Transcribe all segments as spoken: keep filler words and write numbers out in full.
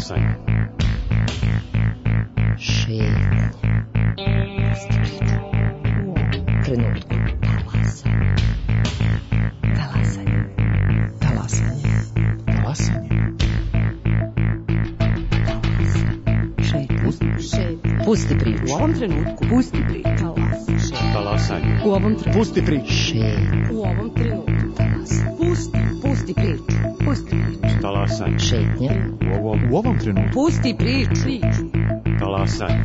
Talasanje. Šetnje. U ovom trenutku. Talasanje. Talasanje. Talasanje. Talasanje. Šetnje. Šetnje. Pusti priču. U ovom trenutku. Pusti priču. Talasanje. U ovom trenutku. Pusti priču. Šetnje. U ovom trenutku. Talasanje. Pusti. Pusti priču. Pusti priču. Talasanje. Šetnje. U ovom, U ovom trenutku. Pusti priču. Priču. talasanje.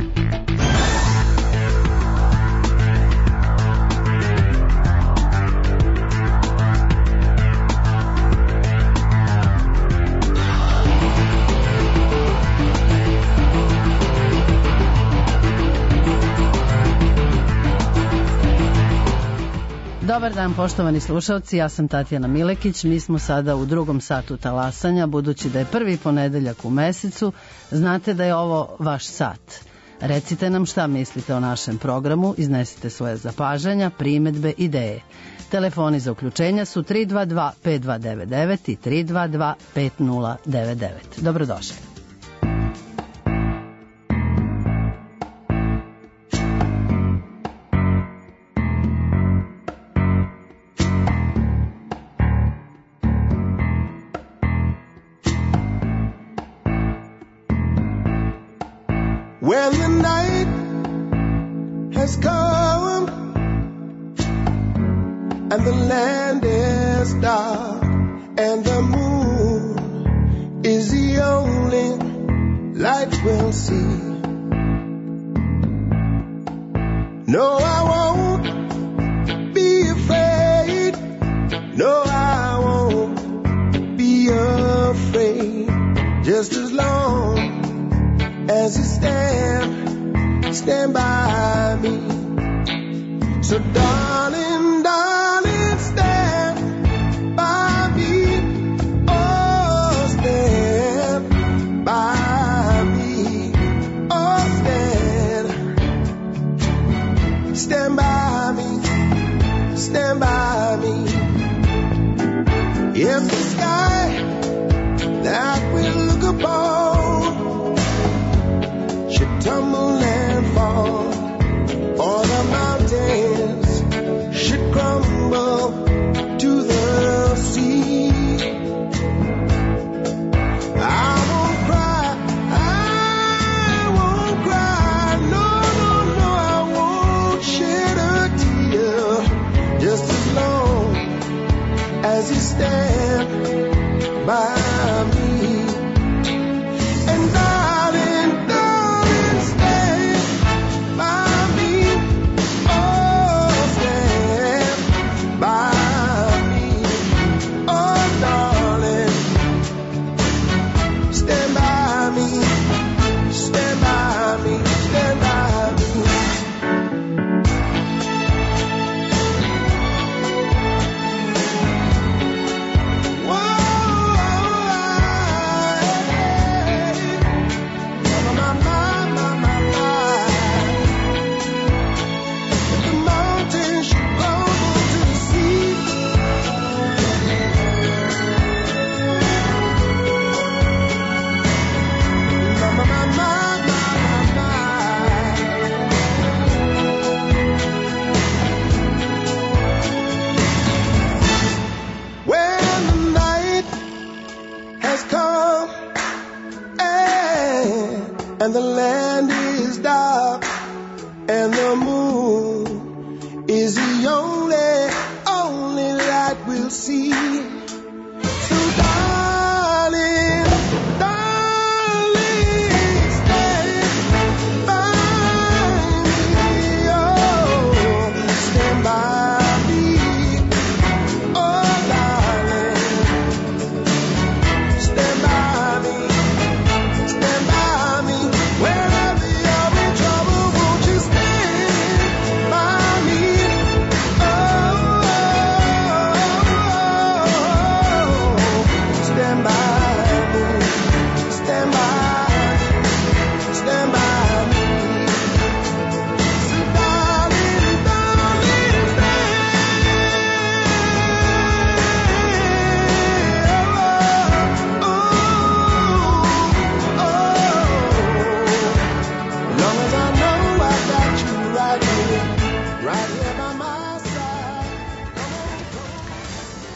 Dobar dan, poštovani slušalci, ja sam Tatjana Milekić, mi smo sada u drugom satu talasanja, budući da je prvi ponedeljak u mesecu, znate da je ovo vaš sat. Recite nam šta mislite o našem programu, iznesite svoje zapažanja, primedbe, ideje. Telefoni za uključenja su tri dva dva pet dva devet devet i tri dva dva pet nula devet devet. Dobrodošli. When the night has come and the land is dark and the moon is the only light we'll see. No, I won't be afraid. No, I won't be afraid. Just as long as you stand, stand by me. So darling, darling, stand by me. Oh, stand by me. Oh, stand. Stand by me. Stand by me. If the sky that we look upon should tumble and fall, or the mountains should crumble to the sea, I won't cry, I won't cry, no, no, no, I won't shed a tear, just as long as you stand by me. And darling, darling, stand by me. Oh, stand by me. Oh, darling, stand by me. Stand by me. Stand by me. And the land is dark, and the moon is the only, only light we'll see. So darling, darling, stand by me, oh, stand by me, oh, darling, stand by me. Wherever you're in trouble, won't you stand by me? Oh, oh, oh,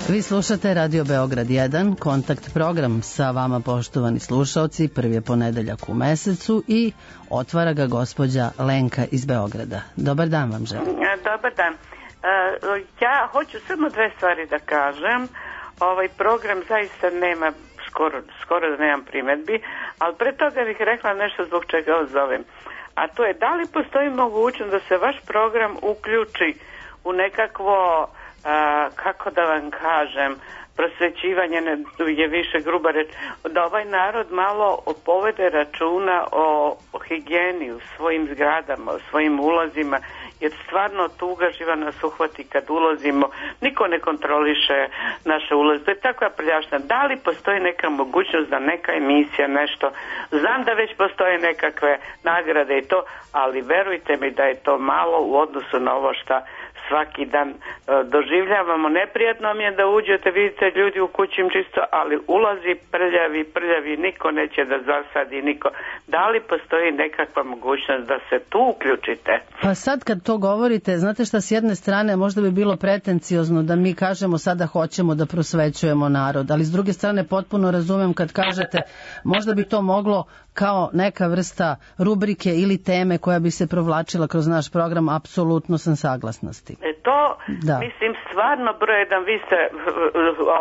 Vi slušate Radio Beograd jedan, kontakt program sa vama, poštovani slušaoci. Prvi je ponedeljak u mesecu i otvara ga gospođa Lenka iz Beograda. Dobar dan vam želim. Dobar dan. Ja hoću samo dve stvari da kažem. Ovaj program zaista nema, skoro, skoro da nemam primedbi, ali pre toga bih rekla nešto zbog čega vas zovem. A to je, da li postoji mogućnost da se vaš program uključi u nekakvo, a, kako da vam kažem, prosvećivanje je više gruba reč, da ovaj narod malo povede računa o, o higijeni u svojim zgradama, o svojim ulazima, jer stvarno tuga živa nas uhvati kad ulazimo, niko ne kontroliše naše ulaze, to je takva prljavština. Da li postoji neka mogućnost da neka emisija, nešto, znam da već postoje nekakve nagrade i to, ali verujte mi da je to malo u odnosu na ovo šta svaki dan e, doživljavamo. Neprijatno mi je da uđete, vidite ljudi u kući im čisto, ali ulazi prljavi, prljavi, niko neće da zasadi, niko. Da li postoji nekakva mogućnost da se tu uključite? Pa sad kad to govorite, znate šta, s jedne strane možda bi bilo pretenciozno da mi kažemo sada hoćemo da prosvećujemo narod, ali s druge strane potpuno razumem kad kažete možda bi to moglo kao neka vrsta rubrike ili teme koja bi se provlačila kroz naš program, apsolutno sam saglasna s tim. E to, da. Mislim, stvarno broj jedan, vi ste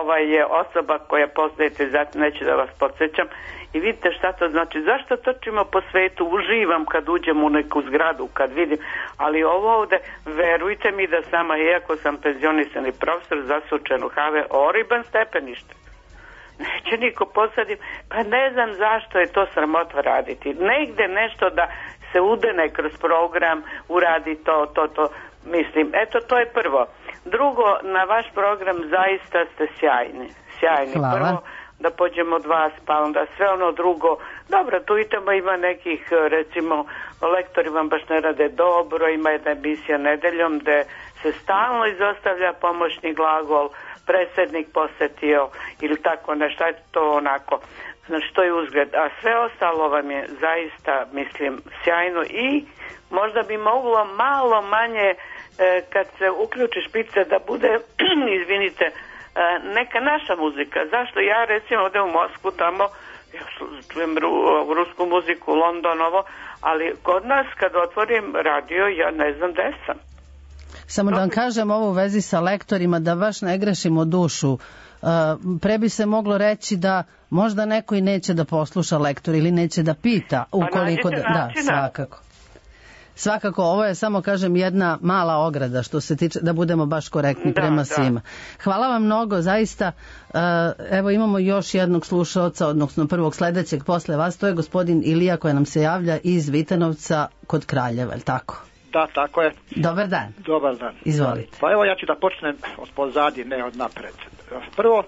ovaj, osoba koja poznajete, zato neću da vas podsjećam, i vidite šta to znači. Zašto trčimo po svetu, uživam kad uđem u neku zgradu, kad vidim, ali ovo ovde, verujte mi da sama, iako sam penzionisani profesor, zasučen u have, oriban stepenište. Neće niko posadim, pa ne znam zašto je to sramota raditi. Negde nešto da se udene kroz program, uradi to, to, to, mislim, eto to je prvo. Drugo, na vaš program zaista ste sjajni, sjajni. Hvala. Prvo, da pođemo od vas, pa onda sve ono drugo. Dobro, tu i tamo ima nekih, recimo, lektori vam baš ne rade dobro, ima jedna emisija nedeljom gde se stalno izostavlja pomoćni glagol, predsjednik posetio ili tako nešto, je to onako, znači to je uzgled, a sve ostalo vam je zaista, mislim, sjajno i možda bi moglo malo manje e, kad se uključi špice da bude, izvinite, e, neka naša muzika. Zašto ja recimo ovdje u Moskvu tamo, ja čujem ru, rusku muziku, London, ovo, ali kod nas kad otvorim radio ja ne znam gde sam. Samo da vam kažem ovo u vezi sa lektorima, da baš ne grešimo dušu. Uh, pre bi se moglo reći da možda neko i neće da posluša lektor ili neće da pita ukoliko pa da, da, svakako. Svakako, ovo je samo, kažem, jedna mala ograda što se tiče, da budemo baš korektni da, prema da. svima. Hvala vam mnogo, zaista. Uh, evo imamo još jednog slušaoca, odnosno prvog sledećeg posle vas, to je gospodin Ilija koji nam se javlja iz Vitanovca kod Kraljeva, je li tako? Da, tako je. Dobar dan. Dobar dan. Izvolite. Pa evo ja ću da počnem od pozadi, ne od napred. Prvo,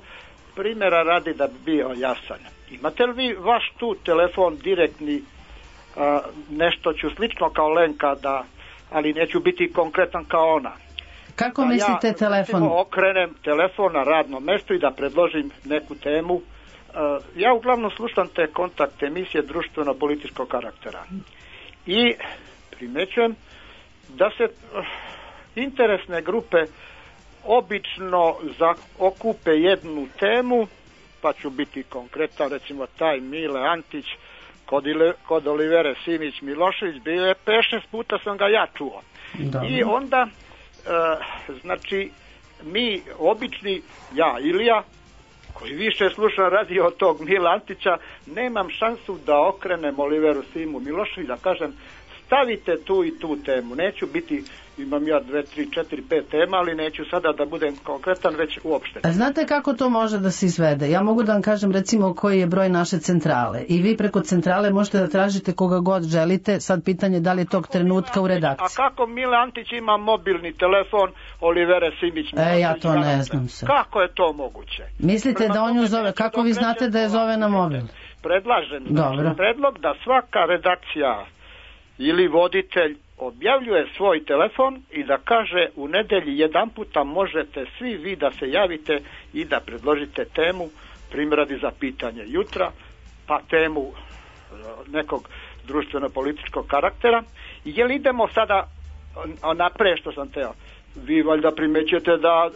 primjera radi da bi bio jasan. Imate li vi vaš tu telefon direktni, a, nešto ću slično kao Lenka, da, ali neću biti konkretan kao ona. Kako da mislite ja, telefon? Ja okrenem telefon na radno mesto i da predložim neku temu. A, ja uglavnom slušam te kontakt emisije društveno-političkog karaktera. I primećujem da se uh, interesne grupe obično okupe jednu temu, pa ću biti konkretan, recimo taj Mile Antić kod, Ile, kod Olivere Simić Milošević, bio je pet šest puta sam ga ja čuo. Dobre. I onda, uh, znači, mi obični, ja Ilija, koji više slušam radio od tog Mila Antića, nemam šansu da okrenem Oliveru Simu Milošević, da kažem, stavite tu i tu temu. Neću biti, imam ja dve, tri, četiri, pet tema, ali neću sada da budem konkretan, već uopšte. A znate kako to može da se izvede? Ja mogu da vam kažem recimo koji je broj naše centrale i vi preko centrale možete da tražite koga god želite. Sad pitanje da li je tog trenutka u redakciji. A kako Mile Antić ima mobilni telefon Olivere Simić? E, ja to ne znam se. Kako je to moguće? Mislite da on ju zove, kako vi znate da je zove na mobil? Predlažem, znači, predlog da svaka redakcija ili voditelj objavljuje svoj telefon i da kaže u nedelji jedan puta možete svi vi da se javite i da predložite temu, primradi za pitanje jutra, pa temu nekog društveno-političkog karaktera. I jel idemo sada napred što sam teo? Vi valjda primećete da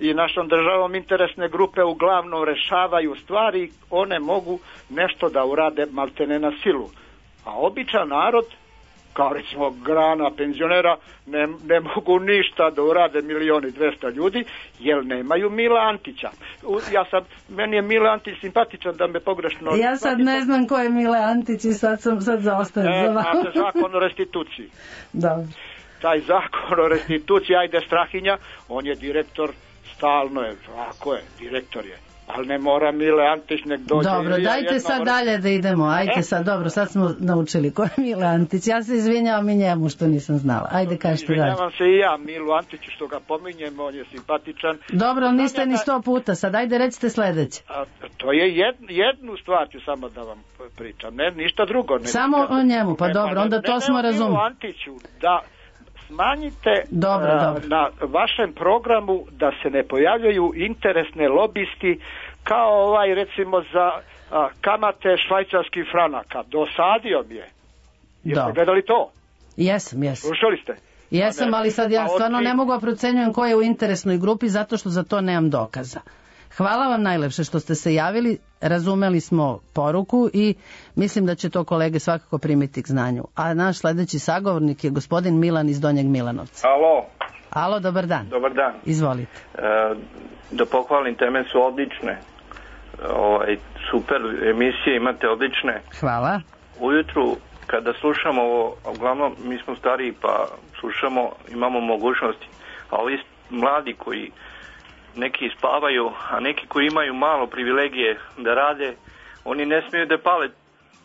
i našom državom interesne grupe uglavnom rešavaju stvari, one mogu nešto da urade maltene na silu. A običan narod, kao recimo grana penzionera, ne, ne mogu ništa da urade milioni dvesta ljudi, jer nemaju Mila Antića. U, ja sam, meni je Mila Antić simpatičan, da me pogrešno... Ja sad ne znam ko je Mile Antić i sad sam sad zaostajem e, za vama. Znate zakon o restituciji. Da. Taj zakon o restituciji, ajde Strahinja, on je direktor, stalno je, ako je, direktor je. Ali ne mora Mile Antić nek dođe. Dobro, dajte sad dalje da idemo. Ajde sad, dobro, sad smo naučili ko je Mile Antić. Ja se izvinjavam i njemu što nisam znala. Ajde, kažete dalje. Izvinjavam se i ja Milu Antiću što ga pominjem, on je simpatičan. Dobro, ali niste ni sto puta. Sad ajde recite sledeće. A, to je jed, jednu stvar ću samo da vam pričam, ne, ništa drugo. Ne, samo nikad, o njemu, pa ne, dobro, onda ne, to ne, smo ne, razumeli. Milu Antiću, da smanjite dobro, a, dobro. na vašem programu da se ne pojavljaju interesne lobisti kao ovaj recimo za a, kamate švajcarskih franaka. Dosadio mi je. Jeste gledali to? Jesam, jesam. Slušali ste? Jesam, ali sad ja stvarno ti... ne mogu da procenjujem ko je u interesnoj grupi zato što za to nemam dokaza. Hvala vam najlepše što ste se javili, razumeli smo poruku i mislim da će to kolege svakako primiti k znanju. A naš sledeći sagovornik je gospodin Milan iz Donjeg Milanovca. Alo. Alo, dobar dan. Dobar dan. Izvolite. E, da pohvalim, teme su odlične. Ovaj, super emisije imate odlične. Hvala. Ujutru kada slušamo ovo, uglavnom mi smo stariji pa slušamo, imamo mogućnosti. A ovi mladi koji neki spavaju, a neki koji imaju malo privilegije da rade, oni ne smiju da pale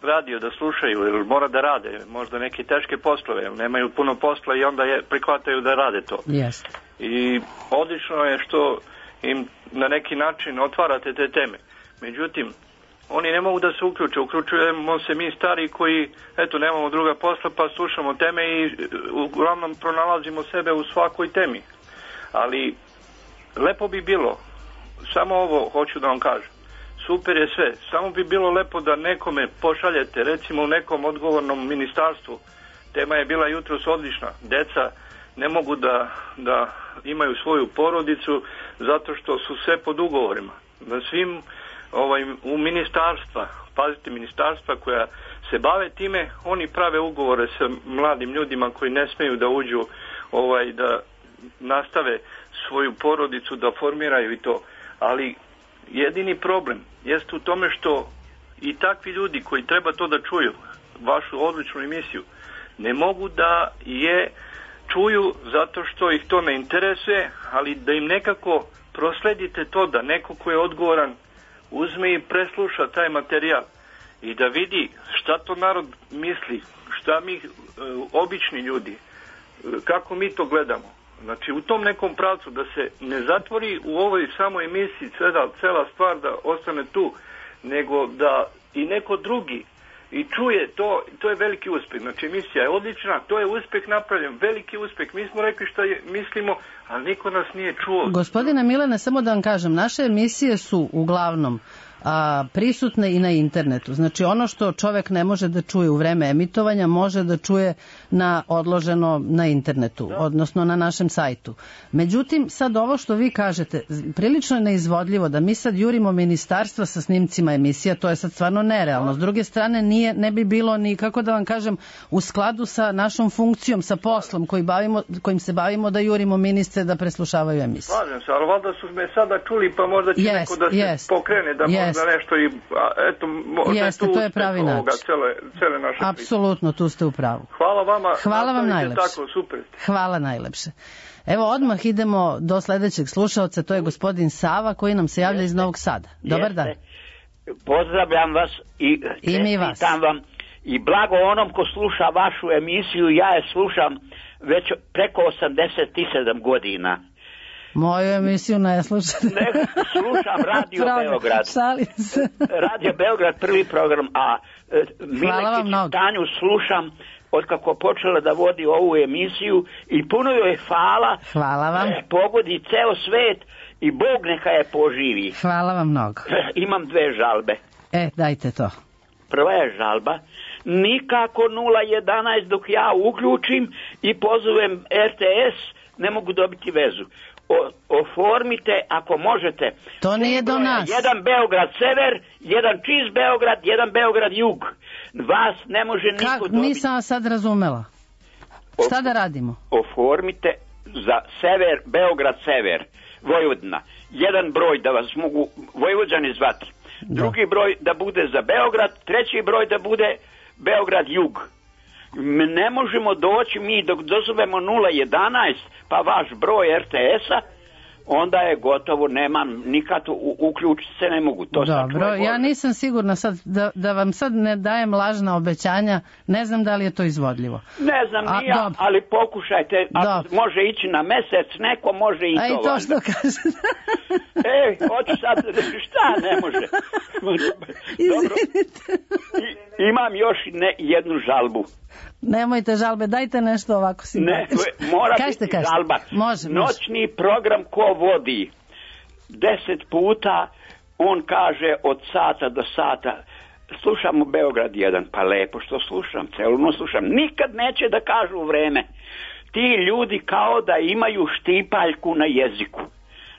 radio da slušaju, jer mora da rade možda neke teške poslove, jer nemaju puno posla i onda je, prihvataju da rade to. Yes. I odlično je što im na neki način otvarate te teme. Međutim, oni ne mogu da se uključe. Uključujemo se mi stari koji, eto, nemamo druga posla pa slušamo teme i uglavnom pronalazimo sebe u svakoj temi. Ali lepo bi bilo, samo ovo hoću da vam kažem, super je sve, samo bi bilo lepo da nekome pošaljete, recimo u nekom odgovornom ministarstvu. Tema je bila jutros odlična, deca ne mogu da, da imaju svoju porodicu zato što su sve pod ugovorima. Da svim ovaj, u ministarstva, pazite, ministarstva koja se bave time, oni prave ugovore sa mladim ljudima koji ne smeju da uđu, ovaj, da nastave svoju porodicu, da formiraju i to. Ali jedini problem jeste u tome što i takvi ljudi koji treba to da čuju, vašu odličnu emisiju, ne mogu da je čuju zato što ih to ne interesuje, ali da im nekako prosledite to da neko ko je odgovoran uzme i presluša taj materijal i da vidi šta to narod misli, šta mi obični ljudi, kako mi to gledamo. Znači u tom nekom pravcu da se ne zatvori u ovoj samoj emisiji cela, cela stvar da ostane tu, nego da i neko drugi i čuje to, to je veliki uspeh. Znači emisija je odlična, to je uspeh napravljen, veliki uspeh. Mi smo rekli šta je, mislimo, ali niko nas nije čuo. Gospodine Milane, samo da vam kažem, naše emisije su uglavnom a, prisutne i na internetu. Znači ono što čovek ne može da čuje u vreme emitovanja, može da čuje na odloženo na internetu, da. Odnosno na našem sajtu. Međutim, sad ovo što vi kažete, prilično je neizvodljivo da mi sad jurimo ministarstva sa snimcima emisija, to je sad stvarno nerealno. S druge strane, nije, ne bi bilo ni, kako da vam kažem, u skladu sa našom funkcijom, sa poslom koji bavimo, kojim se bavimo da jurimo ministre da preslušavaju emisije. Slažem se, ali valjda su me sada čuli, pa možda će yes, neko da se yes, pokrene, da yes. možda nešto i, a, eto, možda Jeste, je tu to je pravi način. Ovoga, cele, cele naše Apsolutno, tu ste u pravu. Hvala vama. Hvala vam najlepše. Tako, super. Hvala najlepše. Evo, odmah idemo do sledećeg slušaoca, to je gospodin Sava koji nam se javlja iz Novog Sada. Dobar dan. Pozdravljam vas i čestitam vam i blago onom ko sluša vašu emisiju, ja je slušam već preko osamdeset sedam godina. Moju emisiju ne slušate. Ne, slušam Radio Beograd. Šalim se. Radio Beograd, prvi program, a e, Milekić Tanju slušam od kako počela da vodi ovu emisiju i puno joj je hvala. Hvala vam. E, pogodi ceo svet i Bog neka je poživi. Hvala vam mnogo. E, imam dve žalbe. E, dajte to. Prva je žalba. Nikako nula jedanaest dok ja uključim i pozovem R T S, ne mogu dobiti vezu. o, oformite ako možete. To nije do nas. Jedan Beograd sever, jedan čist Beograd, jedan Beograd jug. Vas ne može niko Ka, dobiti. Nisam vas sad razumela. Šta da radimo? Oformite za sever, Beograd sever, Vojvodina. Jedan broj da vas mogu Vojvođani zvati. Da. Drugi broj da bude za Beograd, treći broj da bude Beograd jug. Ne možemo doći mi dok dozovemo nula jedanaest pa vaš broj R T S-a, onda je gotovo, nemam nikad u, uključiti se ne mogu. To Dobro, ja nisam sigurna sad da, da vam sad ne dajem lažna obećanja, ne znam da li je to izvodljivo. Ne znam A, ni ja, dobro. ali pokušajte, ako Dobro. može ići na mesec, neko može i A to. i to što kaže. Ej, hoću sad, šta ne može? Izvinite. I, imam još ne, jednu žalbu. Nemojte žalbe, dajte nešto ovako Ne, simpatično. mora Kažete, biti kažete. žalba. Može, može. Noćni program ko vodi deset puta, on kaže od sata do sata, slušam u Beograd jedan, pa lepo što slušam, celu noć slušam, nikad neće da kažu vreme. Ti ljudi kao da imaju štipaljku na jeziku.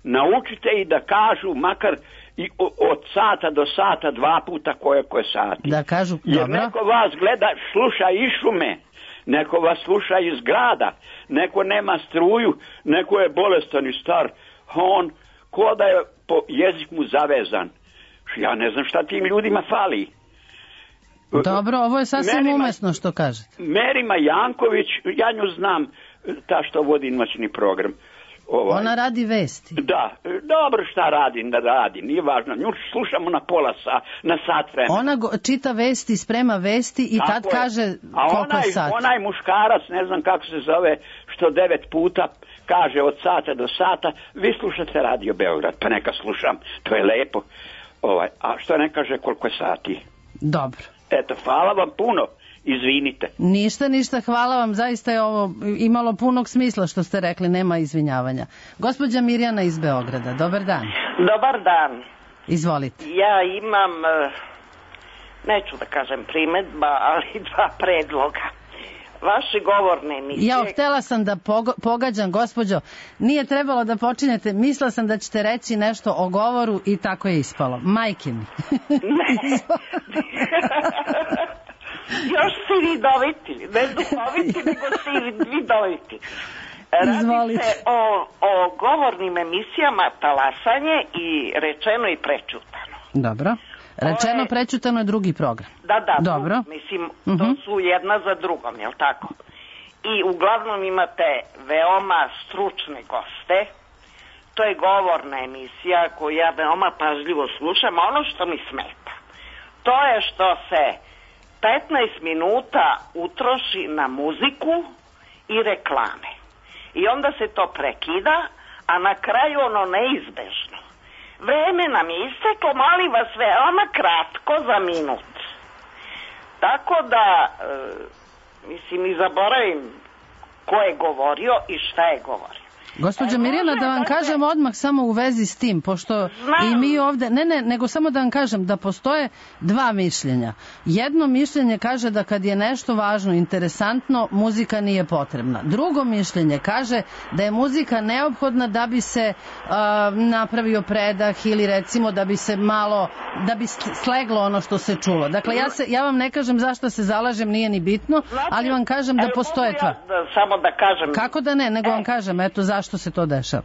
Naučite i da kažu makar i od sata do sata dva puta koje koje sati. Da kažu, jer dobro. neko vas gleda, sluša iz šume, neko vas sluša iz grada, neko nema struju, neko je bolestan i star, on ko da je po jezik mu zavezan. Ja ne znam šta tim ljudima fali. Dobro, ovo je sasvim Merima, umesno što kažete. Merima Janković, ja nju znam, ta što vodi noćni program. Ovaj. Ona radi vesti. Da, dobro šta radi, da radi, nije važno. Nju slušamo na pola sa, na sat vremena. Ona go, čita vesti, sprema vesti i Tako tad je. kaže A koliko onaj, je sat. onaj muškarac, ne znam kako se zove, što devet puta kaže od sata do sata, vi slušate Radio Beograd, pa neka slušam, to je lepo. Ovaj, a što ne kaže koliko je sati? Dobro. Eto, hvala vam puno. Izvinite. Ništa, ništa, hvala vam, zaista je ovo imalo punog smisla što ste rekli, nema izvinjavanja. Gospođa Mirjana iz Beograda, dobar dan. Dobar dan. Izvolite. Ja imam, neću da kažem primedba, ali dva predloga. Vaše govorne emisije... Ja htela sam da pogo, pogađam, gospođo, nije trebalo da počinjete, mislila sam da ćete reći nešto o govoru i tako je ispalo. Majke mi. Ne. Još si vidoviti, ne duhoviti, nego si vidoviti. Radi Izvolite. se o, o govornim emisijama Talasanje i Rečeno i prečutano. Dobro. Rečeno, je... prečutano je drugi program. Da, da, Dobro. Tu, mislim, uh-huh. to su jedna za drugom, jel tako? I uglavnom imate veoma stručne goste. To je govorna emisija koju ja veoma pažljivo slušam, a ono što mi smeta, to je što se petnaest minuta utroši na muziku i reklame. I onda se to prekida, a na kraju ono neizbežno. Vreme nam je isteklo, molim vas, veoma kratko za minut. Tako da, e, mislim, i zaboravim ko je govorio i šta je govorio. Gospođa e, Mirjana, da vam kažem odmah samo u vezi s tim, pošto znam. I mi ovde, ne, ne, nego samo da vam kažem da postoje dva mišljenja. Jedno mišljenje kaže da kad je nešto važno, interesantno, muzika nije potrebna. Drugo mišljenje kaže da je muzika neophodna da bi se uh, napravio predah ili recimo da bi se malo, da bi sleglo ono što se čulo. Dakle, ja, se, ja vam ne kažem zašto se zalažem, nije ni bitno, ali vam kažem da postoje dva. Ja samo da kažem. Kako da ne, nego vam kažem, eto zašto što se to dešava?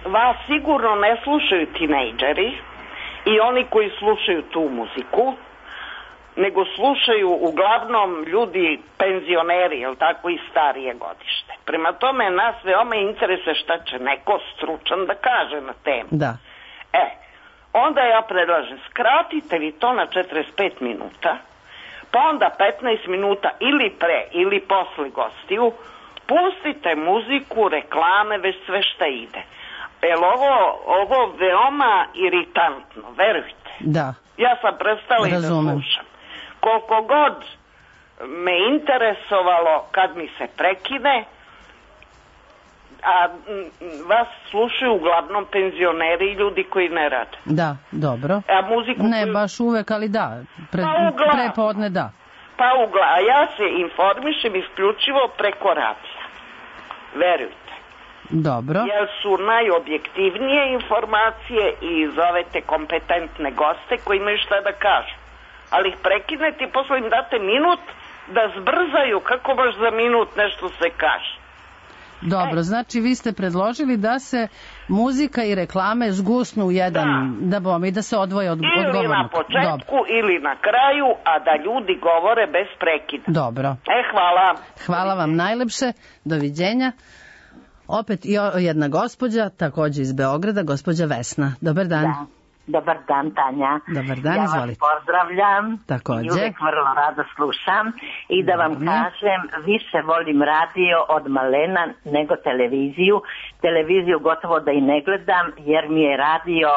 Vas sigurno ne slušaju tinejdžeri i oni koji slušaju tu muziku, nego slušaju uglavnom ljudi penzioneri, jel tako, i starije godište. Prema tome nas veoma interesuje šta će neko stručan da kaže na temu. Da. E, onda ja predlažem, skratite vi to na četrdeset pet minuta, pa onda petnaest minuta ili pre ili posle gostiju, pustite muziku, reklame, već sve šta ide. Jer ovo, ovo veoma iritantno, verujte. Da. Ja sam prestala i da slušam. Koliko god me interesovalo kad mi se prekine, a vas slušaju uglavnom penzioneri i ljudi koji ne rade. Da, dobro. A muziku ne koju... baš uvek, ali da. Pre, pa prepodne da. Pa ugla, a ja se informišem isključivo preko radija. Verujte. Dobro. Jer su najobjektivnije informacije i zovete kompetentne goste koji imaju šta da kažu. Ali ih prekinete i posle im date minut da zbrzaju kako baš za minut nešto se kaže. Dobro, znači vi ste predložili da se muzika i reklame zgusnu u jedan, da, da bom i da se odvoje od, od govornika. Ili na početku Dobro. ili na kraju, a da ljudi govore bez prekida. Dobro. E, hvala. Hvala vam najlepše, doviđenja. Opet i jedna gospođa, takođe iz Beograda, gospođa Vesna. Dobar dan. Da. Dobar dan, Tanja. Dobar dan, ja izvolite. Ja vas pozdravljam. Takođe. I uvek vrlo rado slušam. I da vam Dobro. kažem, više volim radio od malena nego televiziju. Televiziju gotovo da i ne gledam, jer mi je radio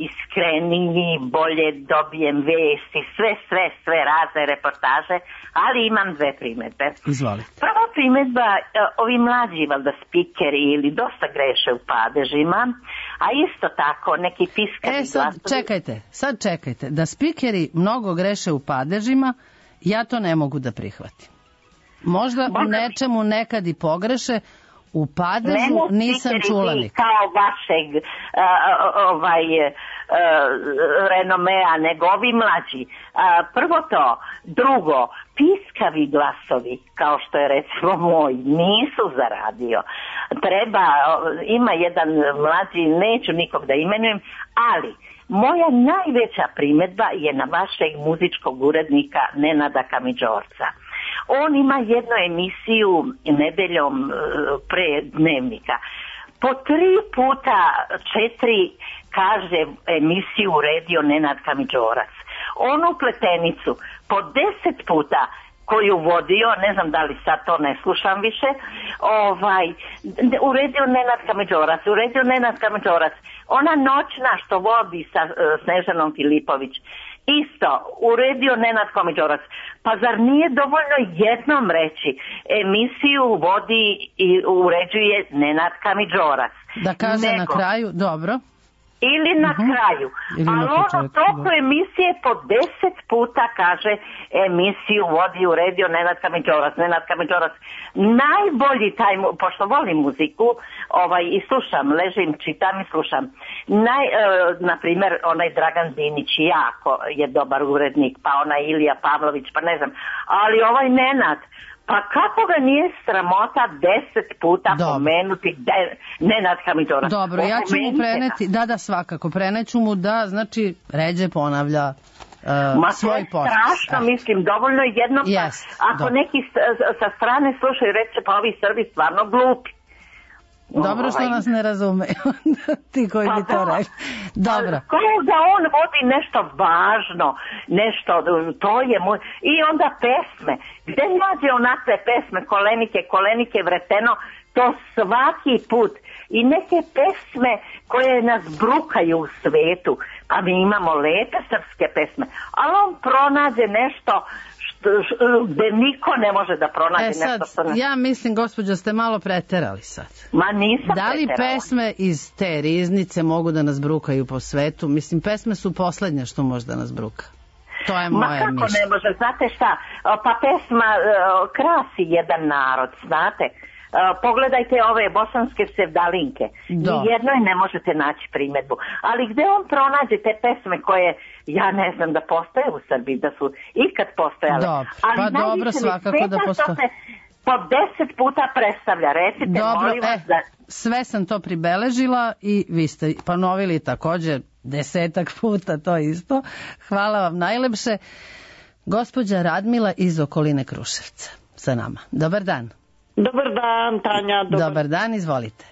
iskreniji, bolje dobijem vesti, sve, sve, sve razne reportaže, ali imam dve primedbe. Izvolite. Prva primedba, ovi mlađi valjda spikeri ili dosta greše u padežima, a isto tako neki piskari E sad glasovi... čekajte, sad čekajte, da spikeri mnogo greše u padežima, ja to ne mogu da prihvatim. Možda u nečemu nekad i pogreše, u padežu nisam čula nikad. Kao vašeg uh, ovaj, uh, renomea, nego ovi mlađi. Uh, prvo to. Drugo, piskavi glasovi, kao što je recimo moj, nisu za radio. Treba, ima jedan mlađi, neću nikog da imenujem, ali moja najveća primedba je na vašeg muzičkog urednika Nenada Kamidžorca. On ima jednu emisiju nedeljom pre dnevnika. Po tri puta četiri kaže emisiju uredio Nenad Kamidžorac. Onu pletenicu po deset puta koju vodio, ne znam da li sad to ne slušam više, ovaj, uredio Nenad Kamidžorac, uredio Nenad Kamidžorac. Ona noćna što vodi sa uh, Snežanom Filipović, isto, uredio Nenad Kamidžorac. Pa zar nije dovoljno jednom reći, emisiju vodi i uređuje Nenad Kamidžorac? Da kaže Nego, na kraju, dobro. Ili na uh-huh. kraju. Ili ali na ono toliko emisije po deset puta kaže emisiju vodi i uredio Nenad Kamidžorac. Nenad Kamidžorac. Najbolji taj, pošto volim muziku, ovaj, i slušam, ležim, čitam i slušam. Naj, e, na primjer, onaj Dragan Dinić jako je dobar urednik, pa onaj Ilija Pavlović, pa ne znam. Ali ovaj Nenad, pa kako ga nije sramota deset puta Dobro. pomenuti de, Nenad Kamidžorac? Dobro, ja ću mu preneti, da, da, svakako, preneću mu da, znači, ređe ponavlja uh, Ma svoj post. Ma to je strašno, mislim, dovoljno jedno, pa, yes, ako dobro. neki sa strane slušaju, reće, pa ovi Srbi stvarno glupi. Dobro što nas ne razumeju, ti koji pa bi to da. rekli. Dobro. Kao da on vodi nešto važno, nešto, to je moj... I onda pesme. Gde nađe onakve pesme, kolenike, kolenike, vreteno, to svaki put. I neke pesme koje nas brukaju u svetu. Pa mi imamo lepe srpske pesme. Ali on pronađe nešto gde niko ne može da pronađe e, sad, nešto što... Ne... Ja mislim, gospođo, ste malo preterali sad. Ma nisam Da li preterala. pesme iz te riznice mogu da nas brukaju po svetu? Mislim, pesme su poslednje što može da nas bruka. To je moje mišljenje. Ma kako ne može, znate šta? Pa pesma uh, krasi jedan narod, znate? Uh, pogledajte ove bosanske sevdalinke. Nijednoj ne možete naći primedbu. Ali gde on pronađe te pesme koje, ja ne znam, da postoje u Srbiji, da su ikad postojale. Dobro, ali pa dobro, svakako da postoje. Po deset puta predstavlja, recite, dobro, molim vas e, da... sve sam to pribeležila i vi ste ponovili također desetak puta to isto. Hvala vam najlepše. Gospođa Radmila iz okoline Kruševca sa nama. Dobar dan. Dobar dan, Tanja. Dobar, dobar dan, izvolite.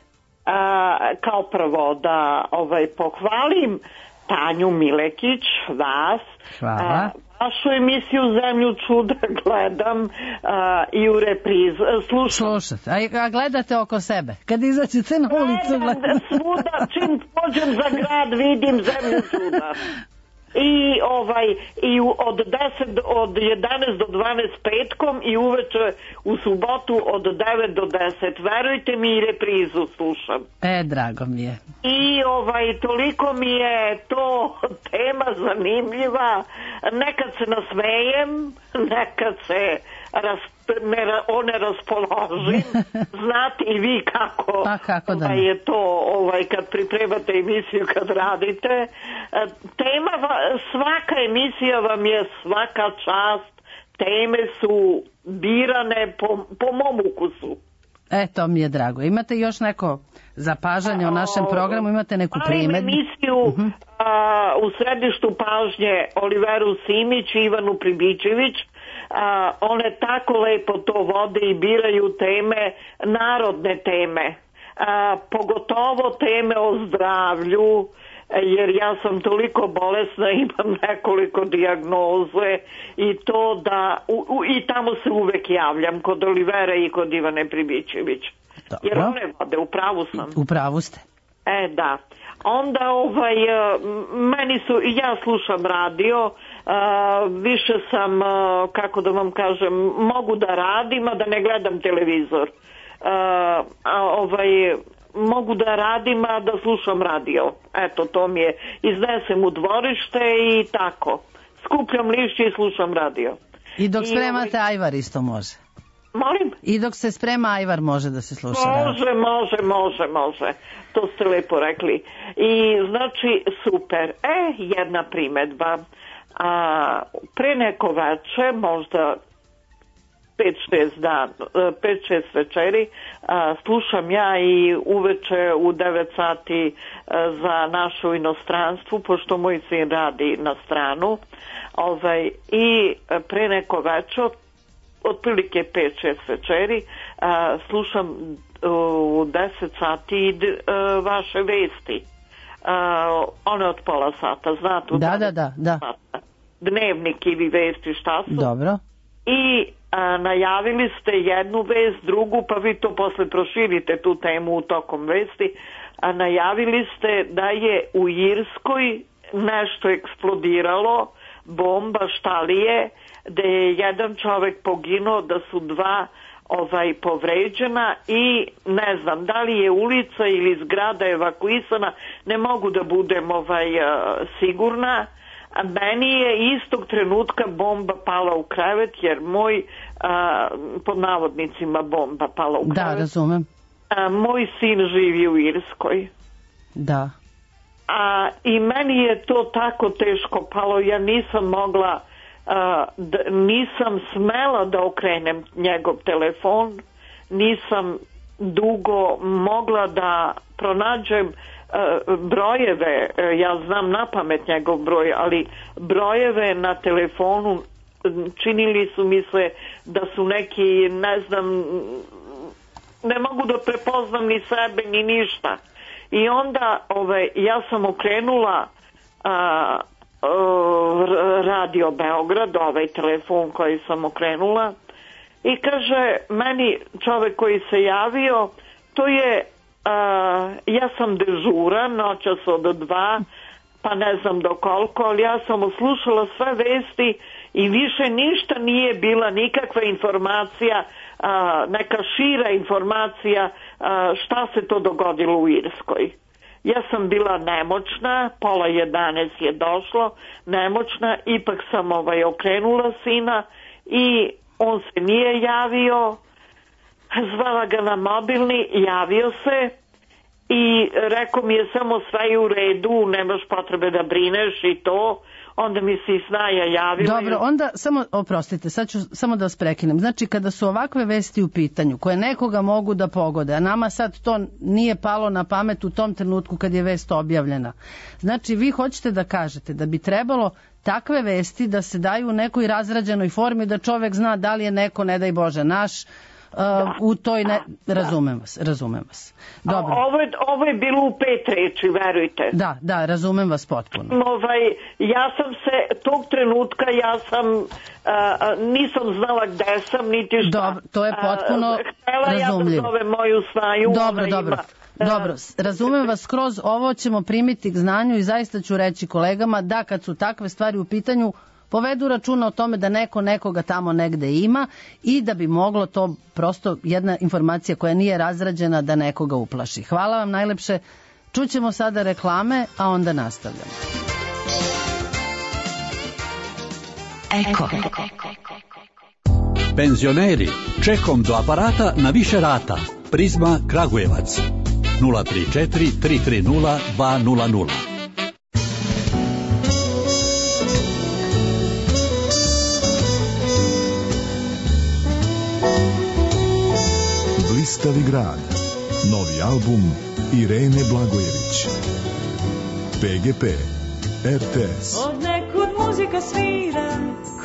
A, kao prvo da ovaj, pohvalim Tanju Milekić, vas. Hvala. A, vašu emisiju Zemlju čuda gledam a, i u repriz. Slušam. Slušate. A, a gledate oko sebe? Kad izađete na ulicu gledate? Svuda, čim pođem za grad vidim Zemlju čuda. I ovaj i od deset od jedanaest do dvanaest petkom i uveče u subotu od devet do deset. Verujte mi, i reprizu slušam. E, drago mi je. I ovaj toliko mi je to tema zanimljiva. Nekad se nasmejem, nekad se ras, ne, o ne raspoložim. Znate i vi kako, pa, kako da ovaj, je to ovaj, kad pripremate emisiju, kad radite. Tema, svaka emisija vam je svaka čast. Teme su birane po, po mom ukusu. E, to mi je drago. Imate još neko zapažanje o našem programu? Imate neku primjedbu? Palim emisiju uh-huh. a, u središtu pažnje Oliveru Simić i Ivanu Pribičević. A, one tako lepo to vode i biraju teme, narodne teme. A, pogotovo teme o zdravlju, jer ja sam toliko bolesna, imam nekoliko dijagnoze i to da u, u, i tamo se uvek javljam kod Olivera i kod Ivane Pribičević. Dobro. Jer one vode, u pravu sam. U pravu ste. E, da. Onda ovaj, meni su, ja slušam radio, više sam, kako da vam kažem, mogu da radim, a da ne gledam televizor. Ovaj, mogu da radim, a da slušam radio. Eto, to mi je. Iznesem u dvorište i tako. Skupljam lišće i slušam radio. I dok I spremate ovaj... ajvar isto može. Molim? I dok se sprema ajvar može da se sluša radio. Može, može, može, može. To ste lepo rekli. I znači, super. E, jedna primedba. A, pre neko veče, možda pet šest dan, pet šest večeri, a, slušam ja i uveče u devet sati a, za našu inostranstvu, pošto moj sin radi na stranu. Ovaj, i pre neko veče, otprilike pet šest večeri, a, slušam u deset sati a, vaše vesti. A, one od pola sata, znate? Da, da, da, da. Dnevnik ili vesti, šta su? Dobro. I a, najavili ste jednu vest, drugu, pa vi to posle proširite tu temu u tokom vesti, a najavili ste da je u Irskoj nešto eksplodiralo, bomba, šta li je, da je jedan čovek poginuo, da su dva ovaj povređena i ne znam da li je ulica ili zgrada evakuisana, ne mogu da budem ovaj sigurna. A meni je istog trenutka bomba pala u krevet, jer moj, a, pod navodnicima bomba pala u krevet. Da, razumem. A, moj sin živi u Irskoj. Da. A, i meni je to tako teško palo, ja nisam mogla, a, da, nisam smela da okrenem njegov telefon, nisam dugo mogla da pronađem brojeve, ja znam na pamet njegov broj, ali brojeve na telefonu činili su mi se da su neki, ne znam, ne mogu da prepoznam ni sebe ni ništa. I onda ovaj, ja sam okrenula a, a, Radio Beograd, ovaj telefon koji sam okrenula, i kaže meni čovek koji se javio, to je Uh, ja sam dežura noćas od dva, pa ne znam do koliko, ali ja sam uslušala sve vesti i više ništa nije bila nikakva informacija, uh, neka šira informacija uh, šta se to dogodilo u Irskoj. Ja sam bila nemoćna, pola jedanaest je došlo, nemoćna, ipak sam ovaj okrenula sina i on se nije javio. Zvala ga na mobilni, javio se i rekao mi je samo sve je u redu, nemaš potrebe da brineš i to. Onda mi se i snaja javila. Dobro, onda samo, oprostite, sad ću samo da vas prekinem. Znači, kada su ovakve vesti u pitanju, koje nekoga mogu da pogode, a nama sad to nije palo na pamet u tom trenutku kad je vest objavljena. Znači, vi hoćete da kažete da bi trebalo takve vesti da se daju u nekoj razrađenoj formi, da čovek zna da li je neko, ne daj Bože, naš, Uh, u toj ne... razumem vas, razumem vas. Dobro. Ovo je, ovo je bilo u pet reči, verujte. Da, da, razumem vas potpuno. Ovaj, ja sam se, tog trenutka ja sam, uh, nisam znala gde sam, niti šta. Dobro, to je potpuno uh, htjela razumljivo. Ja da zove moju snaju. Dobro, dobro. Ima, Dobro, razumem vas skroz, ovo ćemo primiti k znanju i zaista ću reći kolegama da kad su takve stvari u pitanju, povedu računa o tome da neko nekoga tamo negde ima i da bi moglo to prosto jedna informacija koja nije razrađena da nekoga uplaši. Hvala vam najlepše. Čućemo sada reklame, a onda nastavljamo. Eko. Eko. Penzioneri, čekom do aparata na više rata. Prizma Kragujevac. nula tri četiri tri tri nula dva nula nula. Blistavi grad. Novi album Irene Blagojević. P G P. R T S. Od nekud muzika svira,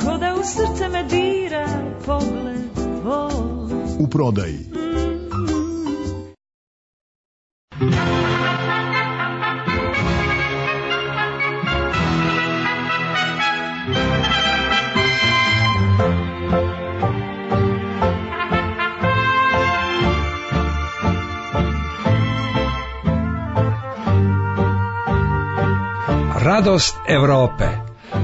ko da u srce me dira, pogled tvoj. U prodaji. Radost Evrope.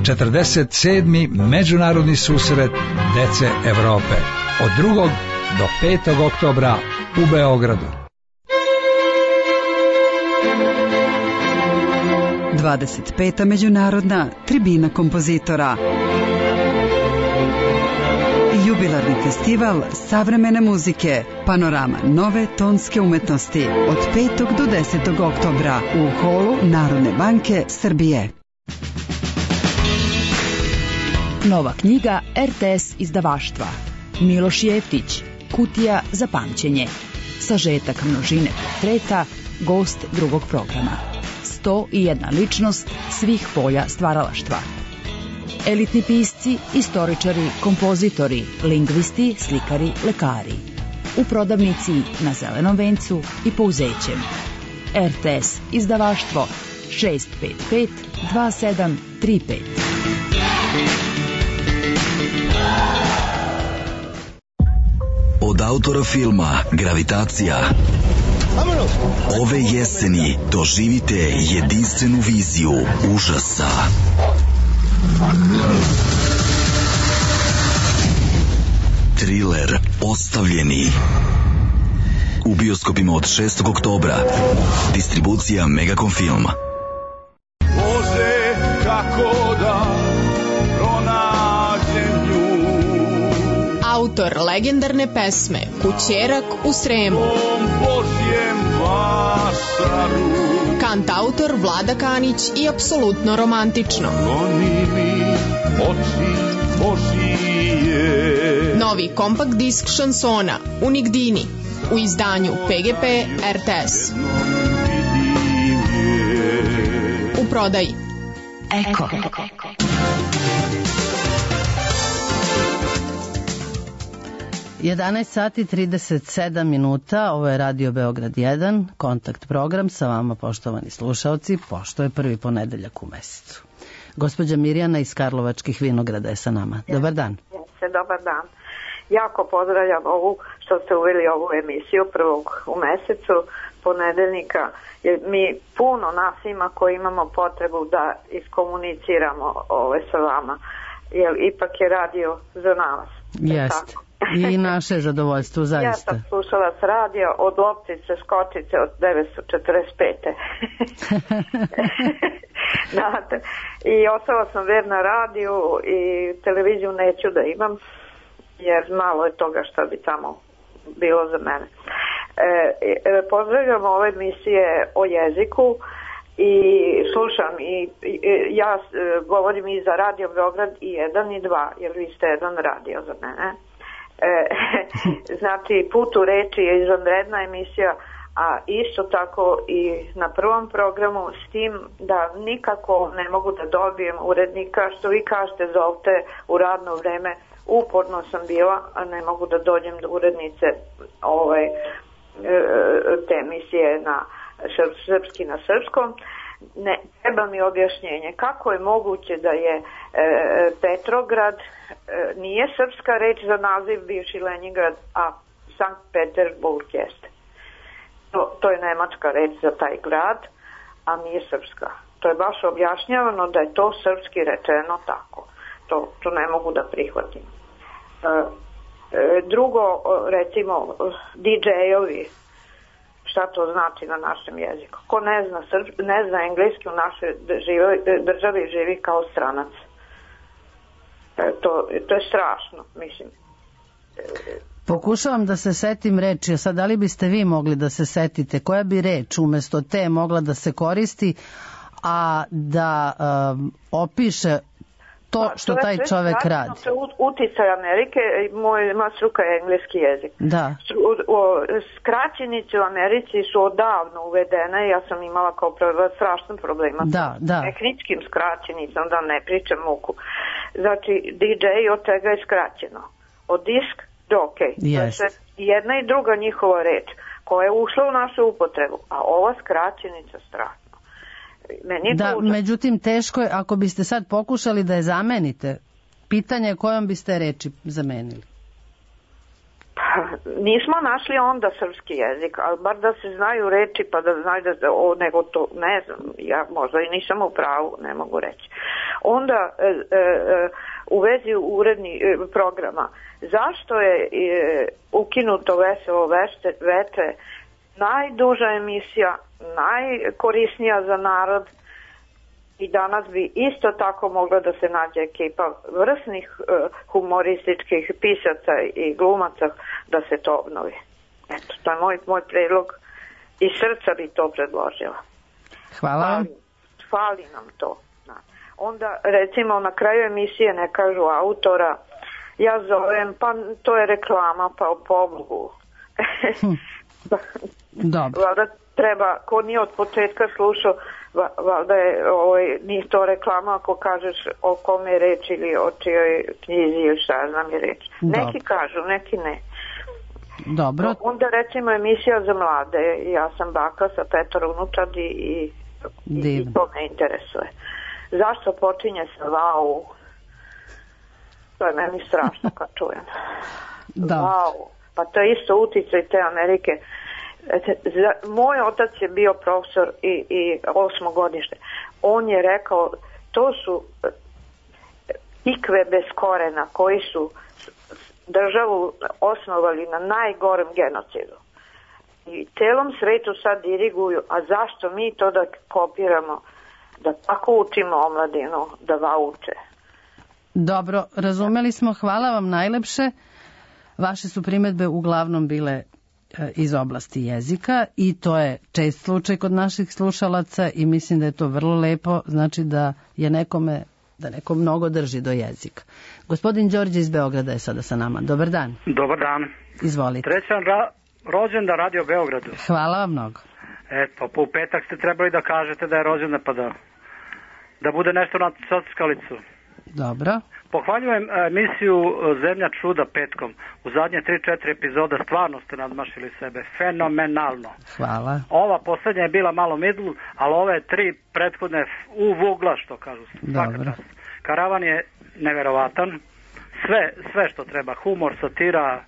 četrdeset sedmi međunarodni susret dece Evrope. Od drugog do petog oktobra u Beogradu. dvadeset peta međunarodna tribina kompozitora. Jubilarni festival savremene muzike, panorama nove tonske umetnosti od petog do desetog oktobra u holu Narodne banke Srbije. Nova knjiga R T S izdavaštva. Miloš Jeftić, Kutija za pamćenje. Sažetak množine portreta, gost drugog programa. sto i jedna ličnost svih polja stvaralaštva. Elitni pisci, istoričari, kompozitori, lingvisti, slikari, lekari. U prodavnici na Zelenom vencu i Pouzećem. R T S izdavaštvo šest pet pet dva sedam tri pet. Od autora filma Gravitacija ove jeseni doživite jedinstvenu viziju užasa. Triler Ostavljeni. U bioskopima od šestog oktobra. Distribucija Megacom Film. Bože, kako da pronađem nju. Autor legendarne pesme Kućerak u Sremu. Božjem vašaru. Kantautor Vlada Kanić i apsolutno romantično. Goni mi oči Božije. Novi kompakt disk šansona Unigdini u izdanju P G P R T S. U prodaji. Eko. jedanaest sati trideset sedam minuta, ovo je Radio Beograd jedan, kontakt program sa vama, poštovani slušalci, pošto je prvi ponedeljak u mesecu. Gospođa Mirjana iz Karlovačkih vinograda je sa nama. Dobar dan. Jeste, dobar dan. Jako pozdravljam ovu što ste uveli ovu emisiju prvog u mesecu, ponedeljnika, jer mi puno nas ima koji imamo potrebu da iskomuniciramo ove sa vama, jer ipak je radio za nas. Jeste. I naše zadovoljstvo, zaista. Ja sam slušala s radio od loptice skočice od devetsto četrdeset pete. Znate, i ostala sam verna radiju i televiziju neću da imam, jer malo je toga što bi tamo bilo za mene. E, pozdravljam ove emisije o jeziku i slušam i, i ja govorim i za Radio Beograd i jedan i dva, jer vi ste jedan radio za mene. E, znači, Put u reči je izvanredna emisija, a isto tako i na prvom programu, s tim da nikako ne mogu da dobijem urednika, što vi kažete, zovte u radno vreme. Uporno sam bila, a ne mogu da dođem do urednice ovaj, te emisije na srpski na srpskom. Ne, treba mi objašnjenje kako je moguće da je e, Petrograd e, nije srpska reč za naziv bivši Leningrad, a Sankt Peterburg jeste. To, to je nemačka reč za taj grad, a nije srpska. To je baš objašnjavano da je to srpski rečeno tako. To, to ne mogu da prihvatim. E, e, drugo, recimo, D J-ovi, šta to znači na našem jeziku. Ko ne zna, srp, ne zna engleski u našoj živi, državi živi kao stranac. E, to, to je strašno, mislim. Pokušavam da se setim reči, a sad da li biste vi mogli da se setite koja bi reč umjesto te mogla da se koristi, a da um, opiše to Pa, što to je taj sve čovek strašno, radi. To je ut- uticaj Amerike, moj masruka je engleski jezik. Da. Stru- o, Skraćenice u Americi su odavno uvedene, ja sam imala kao prva strašan problema Da, da. tehničkim skraćenicom, da ne pričam muku. Znači, D J od čega je skraćeno? Od disk do ok. Jest. To je jedna i druga njihova reč koja je ušla u našu upotrebu, a ova skraćenica strašno. Meni je Da, to užasno. međutim, teško je, ako biste sad pokušali da je zamenite, pitanje je kojom biste reči zamenili. Pa, nismo našli onda srpski jezik, ali bar da se znaju reči, pa da znaju da, o, nego to, ne znam, ja možda i nisam u pravu, ne mogu reći. Onda, e, e, u vezi uredni e, programa, zašto je e, ukinuto Veselo vešte, veče, najduža emisija, najkorisnija za narod, i danas bi isto tako mogla da se nađe ekipa vrsnih uh, humorističkih pisaca i glumaca da se to obnovi. Eto, to je moj, moj predlog i srca bi to predložila. Hvala vam. Fali, fali nam to. Da. Onda recimo na kraju emisije ne kažu autora, ja zovem, pa to je reklama, pa po Bogu. Dobro. Valjda treba, ko nije od početka slušao, valjda je, ovaj, nije to reklama ako kažeš o kome je reč ili o čijoj knjizi ili šta znam je reč. Dobro. Neki kažu, neki ne. Dobro. Onda recimo emisija za mlade, ja sam baka sa petoro unučadi i, i, i to me interesuje. Zašto počinje sa vau? To je meni strašno kad čujem. Da. Vau. Pa to je isto uticaj te Amerike. Za, moj otac je bio profesor i, i osmogodište. On je rekao, to su ikve bez korena koji su državu osnovali na najgorem genocidu. I celom svetu sad diriguju, a zašto mi to da kopiramo, da tako učimo omladinu, da vauče. Dobro, razumeli smo, hvala vam najlepše. Vaše su primedbe uglavnom bile iz oblasti jezika i to je čest slučaj kod naših slušalaca i mislim da je to vrlo lepo, znači da je nekome, da neko mnogo drži do jezika. Gospodin Đorđe iz Beograda je sada sa nama. Dobar dan. Dobar dan. Izvolite. Srećan ra rođendan Radio Beogradu. Hvala vam mnogo. Eto, pa u petak ste trebali da kažete da je rođendan pa da, da bude nešto na sockalicu. Dobro. Pohvaljujem emisiju Zemlja čuda petkom. U zadnje tri četiri epizoda stvarno ste nadmašili sebe. Fenomenalno. Hvala. Ova poslednja je bila malo middle, ali ove tri prethodne u vugla, što kažu. Dobro. Karavan je neverovatan. Sve, sve što treba. Humor, satira,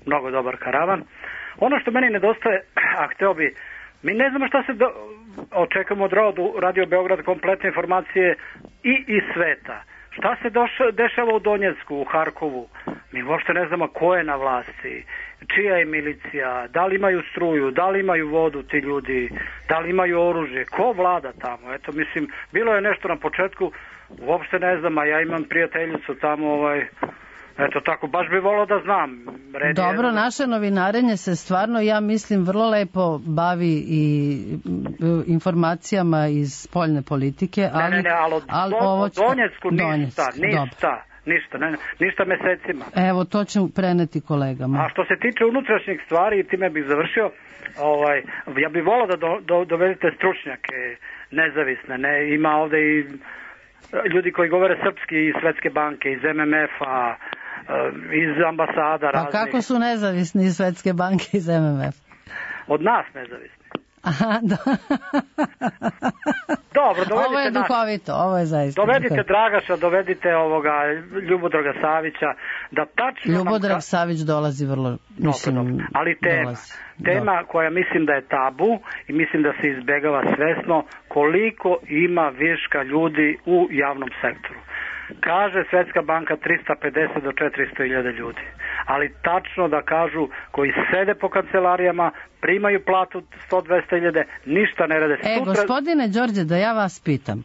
mnogo dobar karavan. Ono što meni nedostaje, a hteo bi, mi ne znamo šta se do, očekujemo od Radio Beograd, kompletne informacije i iz sveta. Šta se doša, dešava u Donjecku, u Harkovu? Mi uopšte ne znamo ko je na vlasti, čija je milicija, da li imaju struju, da li imaju vodu ti ljudi, da li imaju oružje, ko vlada tamo? Eto, mislim, bilo je nešto na početku, uopšte ne znam, a ja imam prijateljicu tamo, ovaj, eto tako, baš bi volao da znam. Red Dobro, je... naše novinarenje se stvarno, ja mislim, vrlo lepo bavi i informacijama iz spoljne politike, ali... Ne, ne, ne, ali od ali do, ovo će... Donjecku ništa, Donjeck, ništa, dobro. ništa, ne, ništa mesecima. Evo, to ću preneti kolegama. A što se tiče unutrašnjih stvari, time bih završio, ovaj, ja bih volao da do, do, dovedete stručnjake nezavisne, ne, ima ovde i ljudi koji govore srpski iz Svetske banke, iz M M F-a, iz ambasada pa raznih. Pa kako su nezavisni iz Svetske banke iz M M F? Od nas nezavisni. Aha, do... Dobro, dovedite ovo je duhovito, nas. Ovo je zaista dovedite duhovito. Dragaša, dovedite ovoga Ljubodraga Savića, da tačno... Ljubodrag nam... Savić dolazi vrlo, mislim, dobro, dobro. Ali tema, dolazi. tema dobro. koja mislim da je tabu i mislim da se izbegava svesno, koliko ima viška ljudi u javnom sektoru. Kaže Svetska banka tristo pedeset do četiristo hiljada ljudi, ali tačno da kažu koji sede po kancelarijama, primaju platu sto do dvesta hiljada, ništa ne rade. E, Sutra... gospodine Đorđe, da ja vas pitam,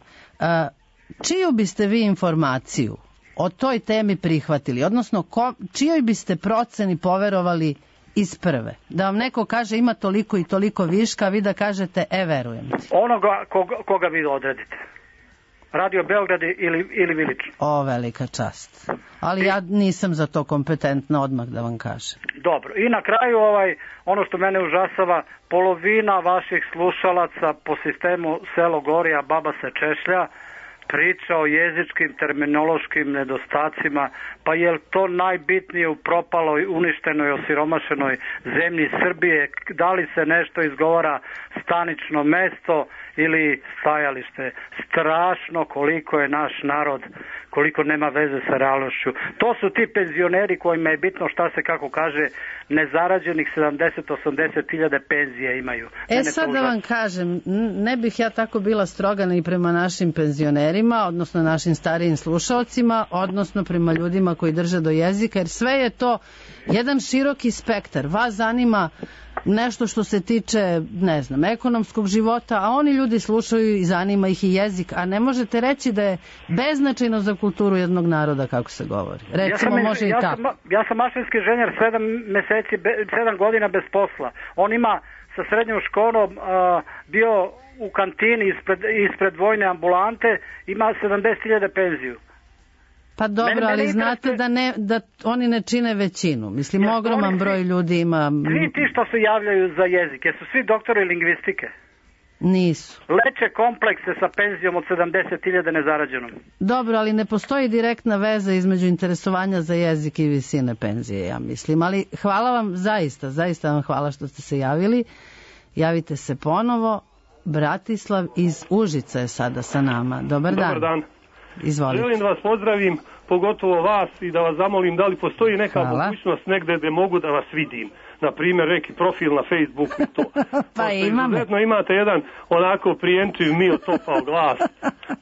čiju biste vi informaciju o toj temi prihvatili? Odnosno, ko, čijoj biste proceni poverovali iz prve? Da vam neko kaže ima toliko i toliko viška, a vi da kažete, e, verujem ti. Onoga koga, koga vi odredite. Radio Beograd ili, ili Vilično. O, velika čast. Ali ja nisam za to kompetentna, odmah da vam kažem. Dobro. I na kraju ovaj, ono što mene užasava, polovina vaših slušalaca po sistemu selo gori, a baba se češlja, priča o jezičkim, terminološkim nedostacima, pa je li to najbitnije u propaloj, uništenoj, osiromašenoj zemlji Srbije? Da li se nešto izgovara stanično mesto ili stajalište? Strašno koliko je naš narod, koliko nema veze sa realnošću. To su ti penzioneri kojima je bitno šta se, kako kaže, nezarađenih sedamdeset do osamdeset hiljada penzije imaju. E Mene sad da vam kažem, ne bih ja tako bila stroga ni prema našim penzionerima, odnosno našim starijim slušalcima, odnosno prema ljudima koji drže do jezika, jer sve je to jedan široki spektar. Vas zanima nešto što se tiče, ne znam, ekonomskog života, a oni ljudi slušaju i zanima ih i jezik, a ne možete reći da je beznačajno za kulturu jednog naroda, kako se govori. Recimo, ja sam, može ja i tako. Sam, ja sam mašinski inženjer, sedam meseci, sedam godina bez posla. On ima sa srednjom školom a, bio u kantini ispred, ispred vojne ambulante, ima sedamdeset hiljada penziju. Pa dobro, mene, ali mene znate da, ne, da oni ne čine većinu. Mislim, ja, ogroman broj svi, ljudi ima... Svi ti što se javljaju za jezike su svi doktori lingvistike. Nisu. Leče komplekse sa penzijom od sedamdeset hiljada nezarađenom. Dobro, ali ne postoji direktna veza između interesovanja za jezik i visine penzije, ja mislim. Ali hvala vam zaista, zaista vam hvala što ste se javili. Javite se ponovo. Bratislav iz Užica je sada sa nama. Dobar dan. Dobar dan. Izvolite. Želim da vas pozdravim, pogotovo vas, i da vas zamolim da li postoji neka Hvala. mogućnost negde gde mogu da vas vidim. Na primjer, neki profil na Facebooku i to. Pa imam. Izuzetno imate jedan onako prijenčiv, mio topao glas.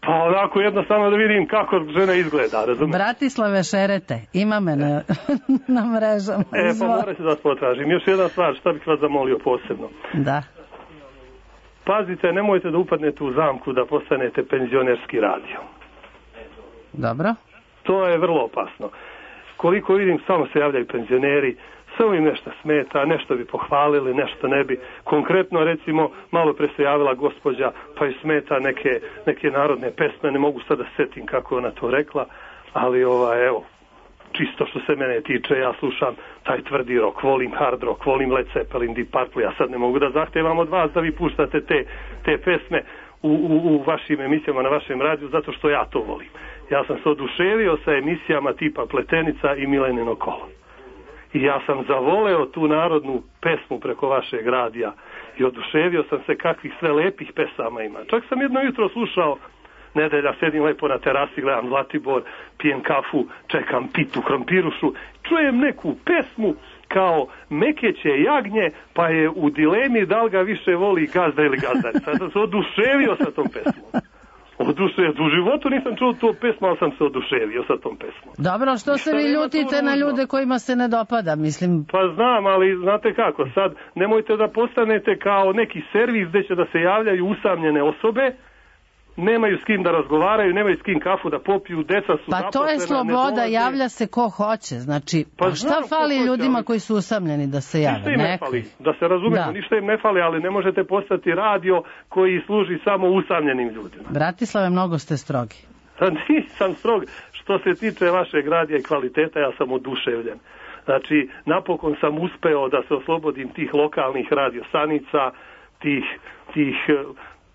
Pa onako jednostavno da vidim kako žena izgleda, razumijete? Bratislave šerete, ima me na, na mrežama. E, pa morate da vas potražim. Još jedna stvar, šta bih vas zamolio posebno. Da. Pazite, nemojte da upadnete u zamku da postanete penzionerski radio. Dobro. To je vrlo opasno. Koliko vidim, samo se javljaju penzioneri, samo im nešto smeta, nešto bi pohvalili, nešto ne bi. Konkretno, recimo, malo pre se javila gospođa, pa ju smeta neke, neke narodne pesme, ne mogu sad da setim kako je ona to rekla, ali ovaj, evo, čisto što se mene tiče, ja slušam taj tvrdi rock, volim hard rock, volim Led Zeppelin, Deep Purple, ja sad ne mogu da zahtevam od vas da vi puštate te, te pesme u, u, u vašim emisijama na vašem radiju, zato što ja to volim. Ja sam se oduševio sa emisijama tipa Pletenica i Milenino kolo. I ja sam zavoleo tu narodnu pesmu preko vašeg radija i oduševio sam se kakvih sve lepih pesama ima. Čak sam jedno jutro slušao, nedelja, sedim lepo na terasi, gledam Zlatibor, pijem kafu, čekam pitu, krompirušu, čujem neku pesmu kao Mekeće jagnje, pa je u dilemi da li ga više voli gazda ili gazdarica. Sad sam se oduševio sa tom pesmom. Oduševio. U životu nisam čuo tu pesmu, ali sam se oduševio sa tom pesmom. Dobro, što se vi ljutite na ljude kojima se ne dopada, mislim? Pa znam, ali znate kako, sad nemojte da postanete kao neki servis gde će da se javljaju usamljene osobe, nemaju s kim da razgovaraju, nemaju s kim kafu da popiju, deca su pa to je sloboda, javlja se ko hoće, znači, pa šta fali ljudima koji su usamljeni da se jave? Ništa im ne fali, da se razumemo, da. ništa im ne fali, ali ne možete postati radio koji služi samo usamljenim ljudima. Bratislave, mnogo ste strogi. Nisam strog, što se tiče vašeg radija i kvaliteta, ja sam oduševljen. Znači, napokon sam uspeo da se oslobodim tih lokalnih radiostanica, tih, tih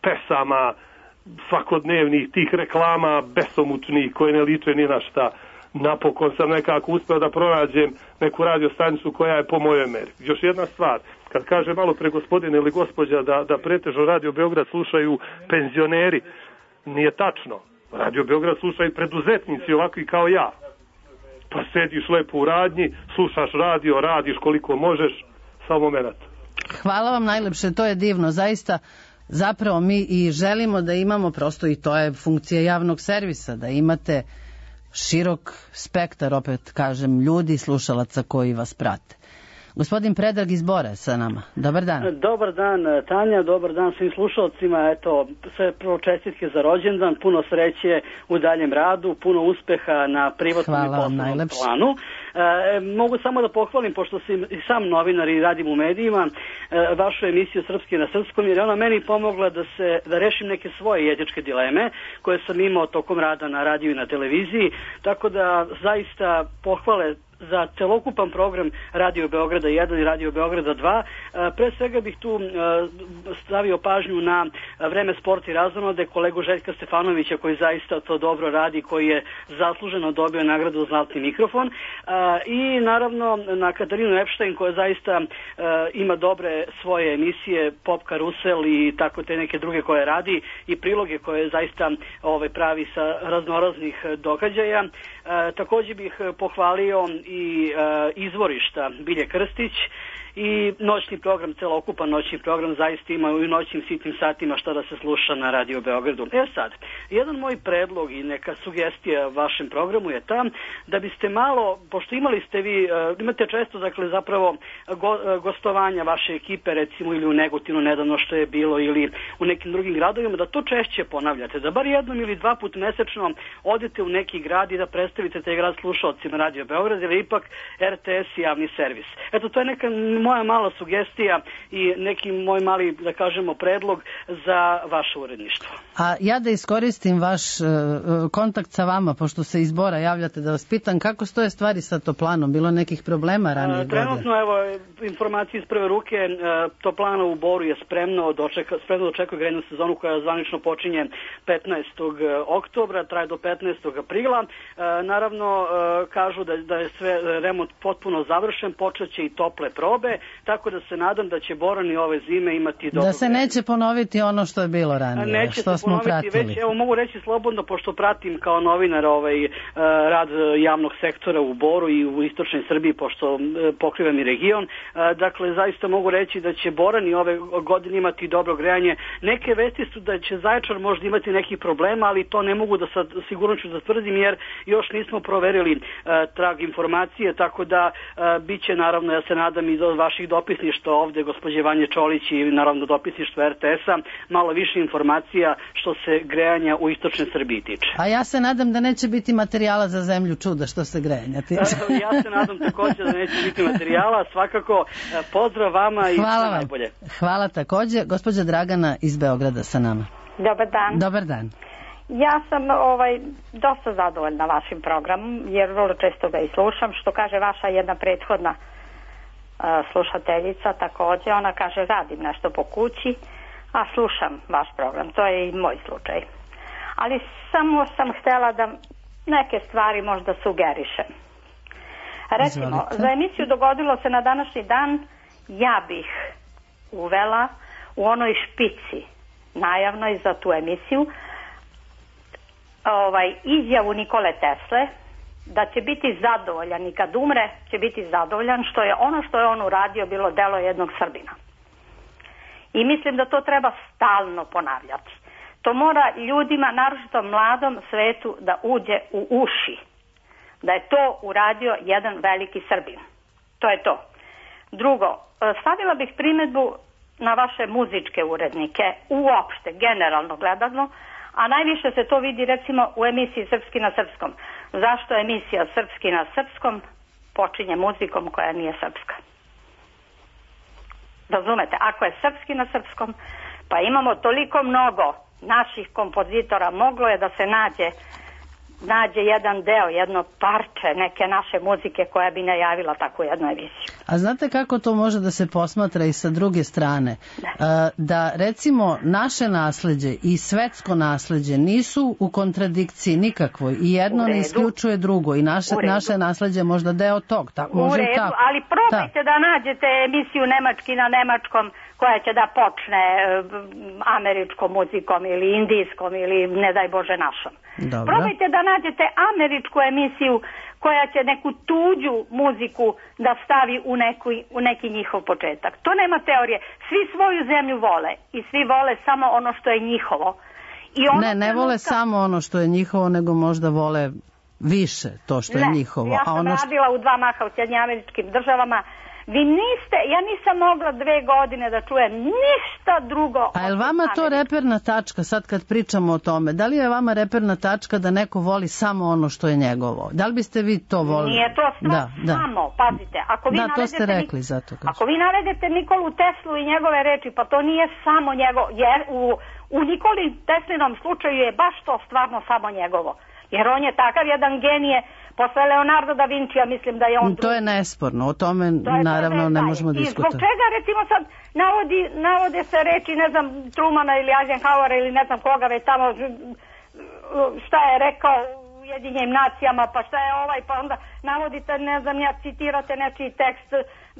pesama, svakodnevnih tih reklama besomučnih koje ne liče ni na šta. Napokon sam nekako uspeo da pronađem neku radiostanicu koja je po mojoj meri. Još jedna stvar, kad kaže malo pre gospodine ili gospođa da, da pretežno Radio Beograd slušaju penzioneri, nije tačno. Radio Beograd slušaju preduzetnici ovakvi kao ja. Pa sediš lepo u radnji, slušaš radio, radiš koliko možeš, samo moment. Hvala vam najlepše, to je divno, zaista. Zapravo mi i želimo da imamo, prosto i to je funkcija javnog servisa, da imate širok spektar, opet kažem, ljudi, slušalaca koji vas prate. Gospodin Predrag iz Bora sa nama. Dobar dan. Dobar dan, Tanja, dobar dan svim slušalcima. Eto, sve prvo čestitke za rođendan, puno sreće u daljem radu, puno uspeha na privatnom i poslovnom planu. E, mogu samo da pohvalim, pošto sam i sam novinar i radim u medijima, e, vašu emisiju Srpski na srpskom, jer je ona meni pomogla da se da rešim neke svoje etičke dileme koje sam imao tokom rada na radiju i na televiziji, tako da zaista pohvale za celokupan program Radio Beograda jedan i Radio Beograda dva. Pre svega bih tu stavio pažnju na Vreme, sport i razonode, kolegu Željka Stefanovića koji zaista to dobro radi, koji je zasluženo dobio nagradu Zlatni mikrofon, i naravno na Katarinu Epštajn koja zaista ima dobre svoje emisije, Pop Karusel i tako te neke druge koje radi i priloge koje zaista ovaj, pravi sa raznoraznih događaja. Također bih pohvalio i e, izvorišta Bilje Krstić i noćni program, celokupan noćni program zaista ima i u noćnim sitnim satima šta da se sluša na Radio Beogradu. E sad, jedan moj predlog i neka sugestija vašem programu je ta da biste malo, pošto imali ste vi, imate često dakle zapravo go, gostovanja vaše ekipe recimo ili u Negotinu nedavno što je bilo ili u nekim drugim gradovima, da to češće ponavljate, da bar jednom ili dva put mesečno odete u neki grad i da predstavite taj grad slušalcima Radio Beograd, jer je ipak R T S javni servis. Eto, to je neka moja mala sugestija i neki moj mali, da kažemo, predlog za vaše uredništvo. A ja da iskoristim vaš uh, kontakt sa vama, pošto se iz Bora javljate, da vas pitam kako stoje stvari sa Toplanom, bilo nekih problema ranije godine? Trenutno, evo, informacije iz prve ruke, uh, Toplana u Boru je spremno dočeka, spremno dočekuje grejnu sezonu koja zvanično počinje petnaestog oktobra, traje do petnaestog aprila. Uh, naravno, uh, kažu da, da je sve remont potpuno završen, počeće i tople probe, tako da se nadam da će Borani ove zime imati dobro. Da se neće ponoviti ono što je bilo ranije, neće što se smo ponoviti, pratili. već, evo mogu reći slobodno, pošto pratim kao novinar ovaj, rad javnog sektora u Boru i u istočnoj Srbiji, pošto pokrivam i region, dakle zaista mogu reći da će Borani ove godine imati dobro grejanje. Neke vesti su da će Zaječar možda imati nekih problema, ali to ne mogu da sad sigurno ću da tvrdim, jer još nismo proverili trag informacije, tako da bit će naravno, ja se nadam, i do vaših dopisništva ovde, gospođe Vanje Čolić i naravno dopisništva R T S-a, malo više informacija što se grejanja u istočnoj Srbiji tiče. A ja se nadam da neće biti materijala za zemlju čuda što se grejanja tiče. Ja se nadam također da neće biti materijala, svakako pozdrav vama i hvala sve vam. najbolje. Hvala također. Gospođa Dragana iz Beograda sa nama. Dobar dan. Dobar dan. Ja sam ovaj, dosta zadovoljna vašim programom, jer vrlo često ga i slušam, što kaže vaša jedna prethodna uh, slušateljica također, ona kaže radim nešto po kući, a slušam vaš program, to je i moj slučaj. Ali samo sam htjela da neke stvari možda sugerišem. Recimo, Izvolite. Za emisiju Dogodilo se na današnji dan, ja bih uvela u onoj špici najavnoj za tu emisiju ovaj, izjavu Nikole Tesle da će biti zadovoljan i kad umre će biti zadovoljan što je ono što je on uradio bilo delo jednog Srbina. I mislim da to treba stalno ponavljati. To mora ljudima, naročito mladom svetu, da uđe u uši. Da je to uradio jedan veliki Srbin. To je to. Drugo, stavila bih primjedbu na vaše muzičke urednike, uopšte, generalno gledano, a najviše se to vidi recimo u emisiji Srpski na srpskom. Zašto emisija Srpski na srpskom počinje muzikom koja nije srpska? Razumete, ako je Srpski na srpskom, pa imamo toliko mnogo naših kompozitora, moglo je da se nađe nađe jedan deo, jedno parče neke naše muzike koja bi najavila takvu jednu emisiju. A znate kako to može da se posmatra i sa druge strane? Da, da recimo naše nasleđe i svetsko nasleđe nisu u kontradikciji nikakvoj i jedno ne isključuje drugo i naše, naše nasleđe možda deo tog. Ta, može u redu, tako. Ali probajte da. da nađete emisiju Nemački na nemačkom koja će da počne američkom muzikom ili indijskom ili ne daj Bože našom. Dobro. Probajte da nađete američku emisiju koja će neku tuđu muziku da stavi u, neku, u neki njihov početak. To nema teorije. Svi svoju zemlju vole i svi vole samo ono što je njihovo. I ono ne, ne vole nuka... samo ono što je njihovo, nego možda vole više to što ne, je njihovo. Ja sam a ono radila u dva maha u Sjedinjenim Američkim Državama. Vi niste, ja nisam mogla dve godine da čujem ništa drugo. A je li vama to reperna tačka, sad kad pričamo o tome, da li je vama reperna tačka da neko voli samo ono što je njegovo? Da li biste vi to volili? Nije to stvar da, da. samo, pazite. Ako vi da, to ste rekli, nik... zato kažem. Ako vi navedete Nikolu Teslu i njegove reči, pa to nije samo njegovo, jer u, u Nikoli Teslinom slučaju je baš to stvarno samo njegovo. Jer on je takav jedan genije. Posle Leonardo da Vinci, ja mislim da je on... To je nesporno, o tome naravno ne možemo diskutovati. I zbog čega, recimo sad, navodi, navode se reči, ne znam, Trumana ili Eisenhowera ili ne znam koga već tamo, šta je rekao Ujedinjenim nacijama, pa šta je ovaj, pa onda navodite, ne znam, ja citirate nečiji tekst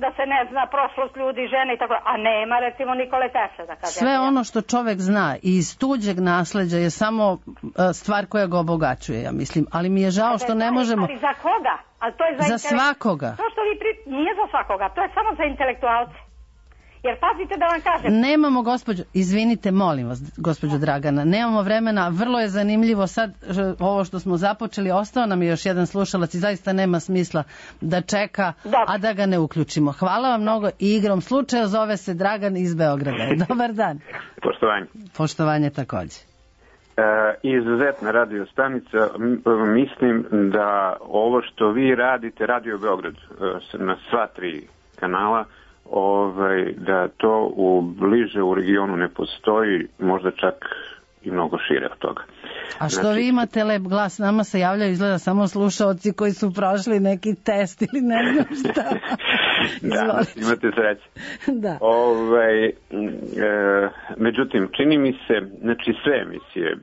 da se ne zna prošlost ljudi, žene i tako, a nema recimo Nikole Tesle da kaže. Sve ono što čovek zna iz tuđeg nasleđa je samo stvar koja ga obogaćuje, ja mislim, ali mi je žao što ne možemo... Ali za koga? Ali to je za, za svakoga. To što vi pri... Nije za svakoga, to je samo za intelektualce. Jer pazite da vam kažem... Nemamo, gospođo, izvinite, molim vas, gospođo Dragana, nemamo vremena, vrlo je zanimljivo sad ovo što smo započeli, ostao nam je još jedan slušalac i zaista nema smisla da čeka, Dobar. a da ga ne uključimo. Hvala vam mnogo i igrom slučaja zove se Dragan iz Beograda. Dobar dan. Poštovanje. Poštovanje takođe. E, izuzetna radio stanica, mislim da ovo što vi radite, Radio Beograd, na sva tri kanala, Ovaj, da to u bliže u regionu ne postoji, možda čak i mnogo šire od toga. A što znači, vi imate lep glas, nama se javljaju izgleda samo slušaoci koji su prošli neki test ili ne znam šta. Da, imate sreće. Da. Ovaj, e, međutim, čini mi se, znači sve emisije,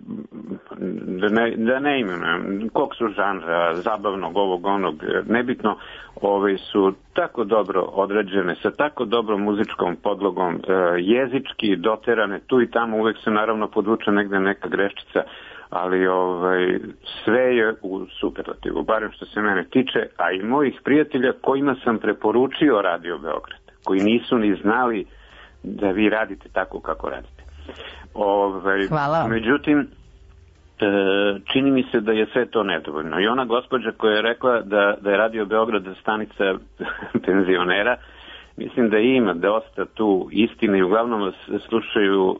da ne, da ne imenujem, kog su žanra, zabavnog, ovog, onog, nebitno, ovaj, su tako dobro određene, sa tako dobrom muzičkom podlogom, e, jezički doterane, tu i tamo uvek se naravno podvuče negde neka greščica, ali ovaj, sve je u superlativu, barem što se mene tiče, a i mojih prijatelja kojima sam preporučio Radio Beograd, koji nisu ni znali da vi radite tako kako radite. Ovaj, Hvala. Međutim, čini mi se da je sve to nedovoljno. I ona gospođa koja je rekla da, da je Radio Beograd stanica penzionera, mislim da ima dosta tu istine i uglavnom vas slušaju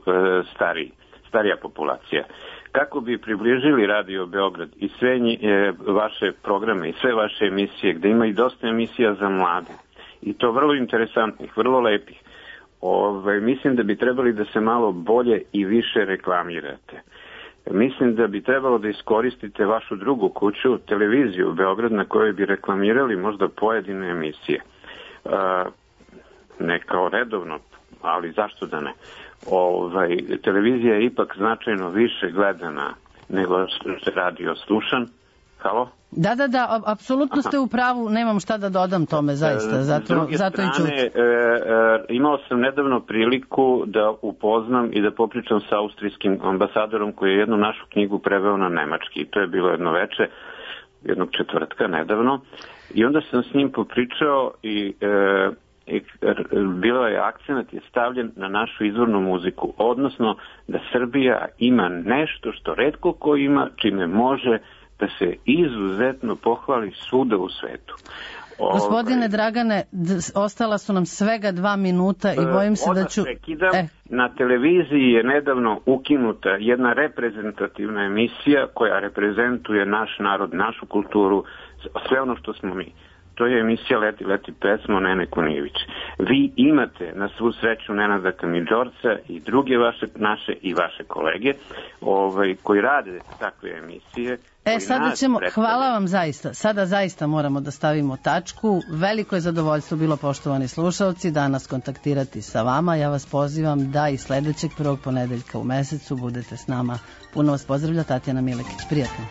stariji, starija populacija. Kako bi približili Radio Beograd i sve nji, e, vaše programe i sve vaše emisije, gde ima i dosta emisija za mlade, i to vrlo interesantnih, vrlo lepih, Ove, mislim da bi trebali da se malo bolje i više reklamirate. Mislim da bi trebalo da iskoristite vašu drugu kuću, televiziju Beograd, na kojoj bi reklamirali možda pojedine emisije. E, ne kao redovno, ali zašto da ne? Ovaj, televizija je ipak značajno više gledana nego što radio slušan. Halo? Da, da, da, apsolutno ste u pravu, nemam šta da dodam tome, zaista, zato, zato i čuti. E, e, imao sam nedavno priliku da upoznam i da popričam sa austrijskim ambasadorom koji je jednu našu knjigu preveo na nemački. To je bilo jedno veče, jednog četvrtka nedavno, i onda sam s njim popričao i... E, bilo je akcenat je stavljen na našu izvornu muziku, odnosno da Srbija ima nešto što retko ko ima, čime može da se izuzetno pohvali svuda u svetu. Gospodine Dragane, ostala su nam svega dva minuta i bojim se da ću... E. Na televiziji je nedavno ukinuta jedna reprezentativna emisija koja reprezentuje naš narod, našu kulturu, sve ono što smo mi. To je emisija Leti, leti pesmo Nene Kunijević. Vi imate na svu sreću Nenada Kamidžorca i druge vaše, naše i vaše kolege ovaj, koji rade takve emisije. E, sada ćemo, hvala vam zaista. Sada zaista moramo da stavimo tačku. Veliko je zadovoljstvo bilo, poštovani slušalci, danas kontaktirati sa vama. Ja vas pozivam da i sledećeg prvog ponedeljka u mesecu budete s nama. Puno vas pozdravlja Tatjana Milekić. Prijatno.